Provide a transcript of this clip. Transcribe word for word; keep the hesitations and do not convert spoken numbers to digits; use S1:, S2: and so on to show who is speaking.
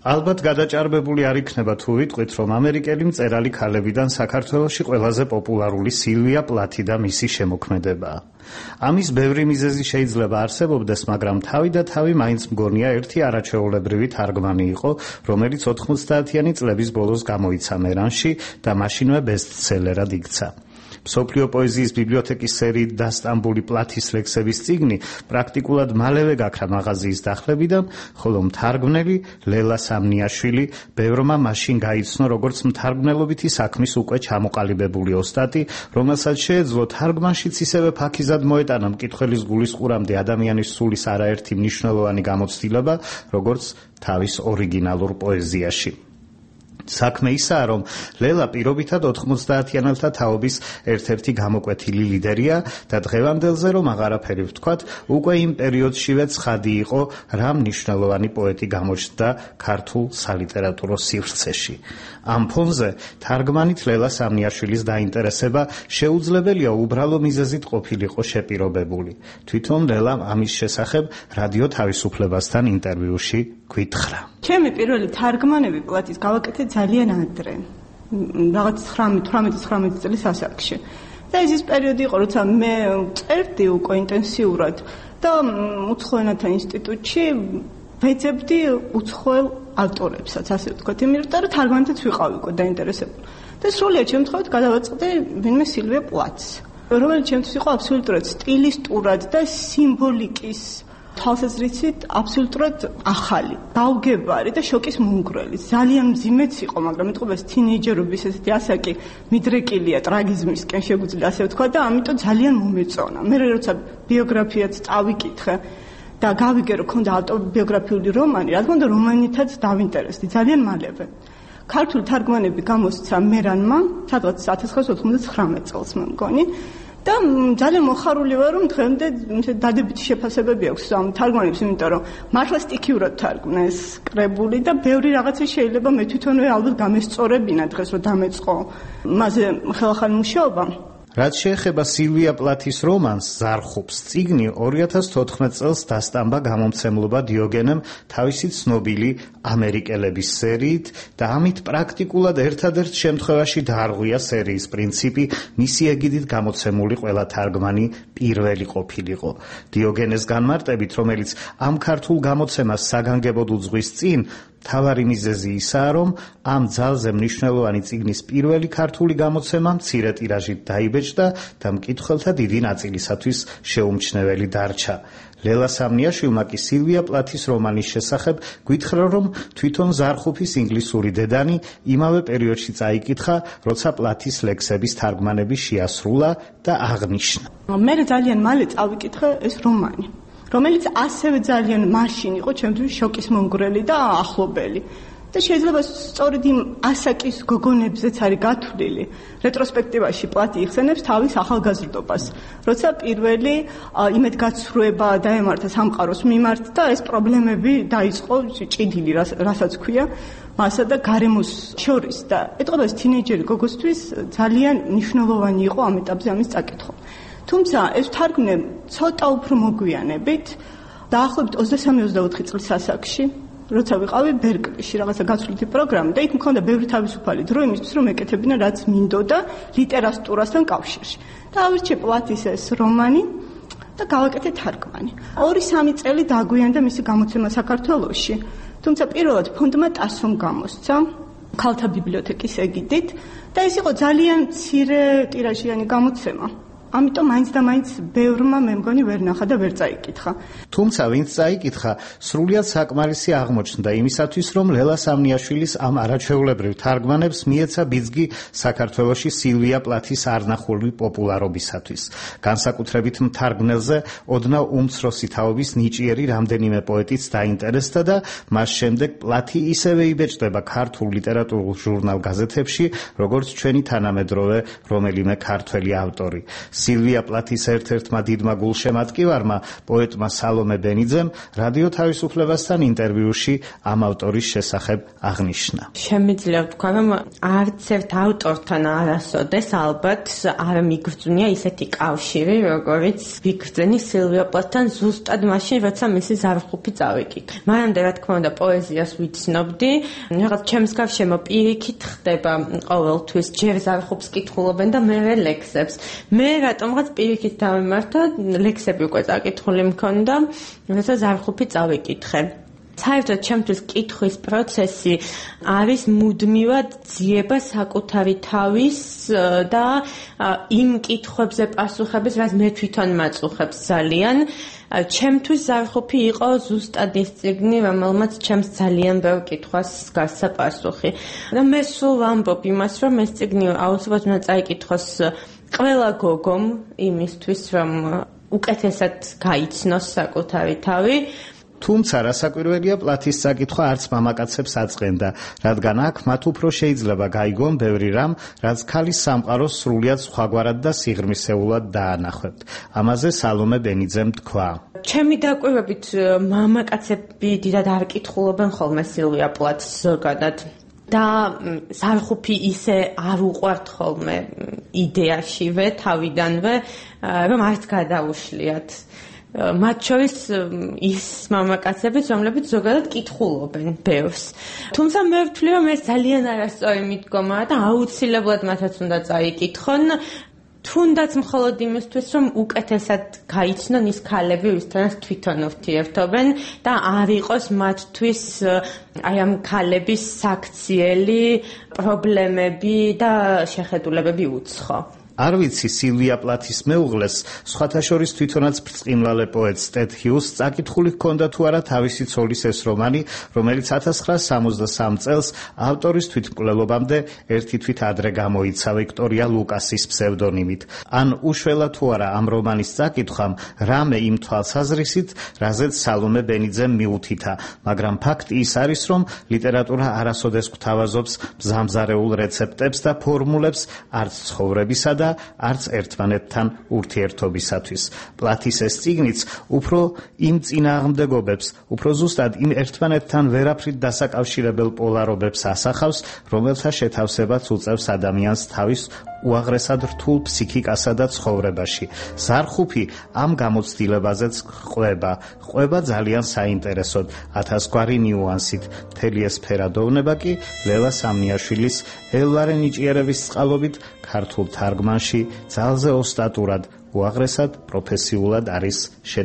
S1: ალბათ გადაჭარბებული არ იქნება თუ ვიტყვით, რომ ამერიკელი მწერალი ქალებიდან საქართველოში ყველაზე პოპულარული სილვია პლათი და მისი შემოქმედებაა. ამის ბევრი მიზეზი შეიძლება არსებობდეს, მაგრამ თავი და თავი მაინც მგონია ერთი არაჩვეულებრივი თარგმანი იყო, რომელიც ოთხმოცდაათიანი წლების ბოლოს გამოიცა მერანში და მაშინვე ბესტსელერად იქცა. მსოფლიო პოეზიის ბიბლიოთეკის სერიით დასტამბული პლათის ლექსების წიგნი პრაქტიკულად მალევე გაქრა მაღაზიის დახლებიდან, ხოლო მთარგმნელი ლელა სამნიაშვილი ბევრმა მაშინ გაიცნო როგორც მთარგმნელობითი საქმის უკვე ჩამოყალიბებული ოსტატი, რომელსაც შეეძლო თარგმანშიც ისევე ფაქიზად მოეტანა მკითხველის გულისყურამდე ადამიანის სულის არაერთი მნიშვნელოვანი გამოცდილება, როგორც თავის ორიგინალურ პოეზიაში. საქმე ისაა, რომ ლელა პირობითად ოთხმოცდაათიანელთა თაობის ერთ-ერთი გამოკვეთილი ლიდერია და დღევანდელზე რომ აღარაფერი ვთქვათ, უკვე იმ პერიოდშივე ცხადი იყო, რა მნიშვნელოვანი პოეტი გამოჩნდა ქართულ სალიტერატურო სივრცეში. ამ ფონზე თარგმანით ლელა სამნიაშვილის დაინტერესება შეუძლებელია უბრალო მიზეზით ყოფილიყო შეპირობებული. თვითონ ლელამ ამის შესახებ რადიო თავისუფლებასთან ინტერვიუში გითხრა.
S2: ჩემი პირველი თარგმანები პლათის გავაკეთე ძალიან ადრე, რაღაც თხამეტი-ცხრამეტი წლის ასაკში. და ეს ის პერიოდი იყო, როცა მე წერდი უკვე ინტენსიურად და უცხო ენათა ინსტიტუტში ვეძებდი უცხოელ ავტორებსაც, ასე ვთქვათ, იმიტომ რომ თარგმანითაც ვიყავი უკვე დაინტერესებული. და სრულიად შემთხვევით გადავაწყდი ვინმე სილვია პლათს, რომელიც ჩემთვის იყო აბსოლუტურად სტილისტურად და სიმბოლიკის თვალსაზრისით აბსოლუტურად ახალი, დაუგებარი და შოკის მომგვრელი. ძალიან მძიმეც იყო, მაგრამ მეტყობას თინეიჯერობის ესეთი ასაკი მიდრეკილია ტრაგიზმისკენ, შეგვიძლია ასე ვთქვა და ამიტომ ძალიან მომეწონა. მე როცა ბიოგრაფიაც წავიკითხე და გავიგე, რომ ქონდა ავტობიოგრაფიული რომანი, რა თქმა უნდა, რომანითაც დავინტერესდი ძალიან მალევე. ქართული თარგმანები გამოსცა მერანმა, სადღაც ათას ცხრაასი ოთხმოცდათხრამეტ წელს მე მგონი. და ძალიან მოხარული ვარ, რომ დღემდე დადებითი შეფასებები აქვს ამ თარგმანებს, იმიტომ რომ მართლა სტიქიურად თარგმნეს კრებული და ბევრი რაღაცა შეიძლება მე თვითონვე ალბათ გამესწორებინა დღეს რომ დამეწყო მასზე ხელახალი მუშაობა.
S1: რაც შეეხება სილვია პლათის რომანს ზარხობს, წიგნი ორი ათას თოთხმეტ წელს დასტამბა გამომცემლობა დიოგენემ თავისი ცნობილი ამერიკელების სერიით და ამით პრაქტიკულად ერთადერთ შემთხვევაში დაარღვია სერიის პრინციპი, მისი ეგიდით გამოცემული ყველა თარგმანი პირველი ყოფილიყო. დიოგენეს განმარტებით, რომელიც ამ ქართულ გამოცემას საგანგებოდ უძღვის წინ, მთავარი მიზეზი ისაა, რომ ამ ძალზე მნიშვნელოვანი წიგნის პირველი ქართული გამოცემა მცირე ტირაჟით დაიბეჭდა და მკითხველთა დიდი ნაწილისათვის შეუმჩნეველი დარჩა. ლელა სამნიაშვილმა კი სილვია პლათის რომანის შესახებ გითხრა, რომ თვითონ ზარხუფის ინგლისური დედანი იმავე პერიოდში წაიკითხა, როცა პლათის ლექსების თარგმანები შეასრულა და აღნიშნა.
S2: მე ძალიან მალე წავიკითხე ეს რომანი, რომელიც ასევე ძალიან მაშინ იყო ჩემთვის შოკის მომგვრელი და ახლობელი. და შეიძლება სწორედ იმ ასაკის გოგონებზეც არის გათვლილი. რეტროსპექტივაში პლათი იხსენებს თავის ახალგაზრდობას, როცა პირველი იმედგაცრუება დაემართა სამყაროს მიმართ და ეს პრობლემები დაიწყო ჭიდილი, რასაც ქვია, მასა და გარემოს შორის და ეტყობეს თინეიჯერი გოგოსთვის ძალიან მნიშვნელოვანი იყო ამ ეტაპზე ამის წაკითხვა. თუმცა ეს თარგმნე ცოტა უფრო მოგვიანებით, დაახლოებით ოცდასამი ოცდაოთხი წლის ასაკში, როცა ვიყავი ბერკლიში რაღაცა გაცვლითი პროგრამა და იქ მქონდა ბევრი თავისუფალი დრო იმისთვის, რომ ეკეთებინა რაც მინდოდა ლიტერატურასთან კავშირში. და ავირჩიე პლათის ეს რომანი და გავაკეთე თარგმანი. ორი სამი წელი დაგვიანდა მისი გამოცემა საქართველოში. თუმცა პირველად ფონდმა ტასომ გამოსცა ქალთა ბიბლიოთეკის ეგიდით და ეს იყო ძალიან მცირე ტირაჟიანი გამოცემა. ამიტომ მაინც და მაინც ბევრმა მე მგონი ვერ ნახა და ვერ წაიკითხა.
S1: თუმცა ვინც წაიკითხა, სრულიად საკმარისი აღმოჩნდა იმისათვის, რომ ლელა სამნიაშვილის ამ არაჩვეულებრივ თარგმანებს მიეცა ბიძგი საქართველოში სილვია პლათის არნახული პოპულარობისათვის. განსაკუთრებით მთარგმნელზე ოდნავ უმცროსი თაობის ნიჭიერი რამდენიმე პოეტიც დაინტერესდა და მას შემდეგ პლათი ისევე იბეჭდება ქართულ ლიტერატურულ ჟურნალ გაზეთებში, როგორც ჩვენი თანამედროვე რომელიმე ქართველი ავტორი. სილვია პლათის ერთ-ერთმა დიდმა გულშემატკივარმა, პოეტმა სალომე ბენიძემ რადიო თავისუფლებასთან ინტერვიუში ამ ავტორის შესახებ აღნიშნა.
S3: შემიძლია ვთქვა, რომ არც ერთ ავტორთან არასოდეს ალბათ არ მიგრძნია ისეთი კავშირი, როგორიც ვიგრძენი სილვია პლათთან ზუსტად მაშინ, როცა მისი ზარხუფი წავიკითხე. მანამდე, რა თქმა უნდა, პოეზიას ვიცნობდი, რაღაც ჩემს გარშემო პირიქით ხდება ყოველთვის ჯერ ზარხუფს კითხულობენ და მერე ლექსებს. მე რატომღაც პირიქით დავიმართა, ლექსები უკვე წაკითხული მქონდა, როცა ზარხუფი წავიკითხე. საერთოდ ჩემთვის კითხვის პროცესი არის მუდმივად ძიება საკუთარი თავის და იმ კითხვებზე პასუხების, რაც მე თვითონ მაწუხებს ძალიან. ჩემთვის ზარხუფი იყო ზუსტად ის წიგნი, რომელმაც ჩემს ძალიან ბევრ კითხვას გასცა პასუხი. და მე სულ ვამბობ იმას, რომ ეს წიგნი აუცილებლად უნდა წაიკითხოს ყველა გოგომ იმისთვის, რომ უკეთესად გაიცნოს საკუთარი თავი.
S1: თუმცა რასაკვირველია, პლათის საკითხვა არც მამაკაცებს აწყენდა, რადგან აქ მათ უფრო შეიძლება გაიგონ ბევრი რამ, რაც ქალის სამყაროს სრულიად სხვაგვარად და სიღრმისეულად დაანახებთ. ამაზე სალომე ბენიძემ თქვა.
S3: ჩემი დაკვირვებით მამაკაცები დიდად არ კითხულობენ ხოლმე სილვია პლათს ზოგადად. და ზარხუფი ისე არ უყვართ ხოლმე იდეაშივე, თავიდანვე, რომ არც გადაუშლიათ. მათ შორის ის მამაკაცებიც, რომლებიც ზოგადად კითხულობენ ბევრს. თუმცა მე ვთვლი, რომ ეს ძალიან არასწორი მიდგომაა და აუცილებლად მათაც უნდა წაიკითხონ, თუნდაც მხოლოდ იმისთვის, რომ უკეთესად გაიცნონ ის ქალები, ვისთანაც თვითონ ურთიერთობენ და არ იყოს მათთვის აი ამ ქალების საქციელი პრობლემები და შეხედულებები უცხო.
S1: არ ვიცი, სილვია პლათის მეუღლეს, სხვათა შორის თვითონაც ბრწყინვალე პოეტს ტედ ჰიუსს წაკითხული ჰქონდა თუ არა თავისი ცოლის ეს რომანი, რომელიც ათას ცხრაასა სამოცდასამ წელს ავტორის თვითმკვლელობამდე ერთი თვით ადრე გამოიცა ვიქტორია ლუკასის ფსევდონიმით. ან უშველა თუ არა ამ რომანის წაკითხვამ რამე იმ თვალსაზრისით, რაზეც სალომე ბენიძემ მიუთითა, მაგრამ ფაქტი ის არის, რომ ლიტერატურა არასოდეს გვთავაზობს მზამზარეულ რეცეპტებს და ფორმულებს არც ცხოვრებისა და არც ერთმანეთთან ურთიერთობისათვის. პლათის ეს წიგნიც უფრო იმ წინააღმდეგობებს, უფრო ზუსტად იმ ერთმანეთთან ვერაფრით დასაკავშირებელ პოლარობებს ასახავს, რომელთა შეთავსებაც უწევს ადამიანს თავის უაღრესად რთულ ფსიქიკასა და ცხოვრებაში. ზარხუფი ამ გამოცდილებაზეც ყვება, ყვება ძალიან საინტერესოდ, ათასგვარი ნიუანსით. მთელი ეს ფერადოვნება კი ლელა სამნიაშვილის ელვარე ნიჭიერების წყალობით ქართულ თარგმანში ძალზე ოსტატურად, უაღრესად პროფესიულად არის შენახული.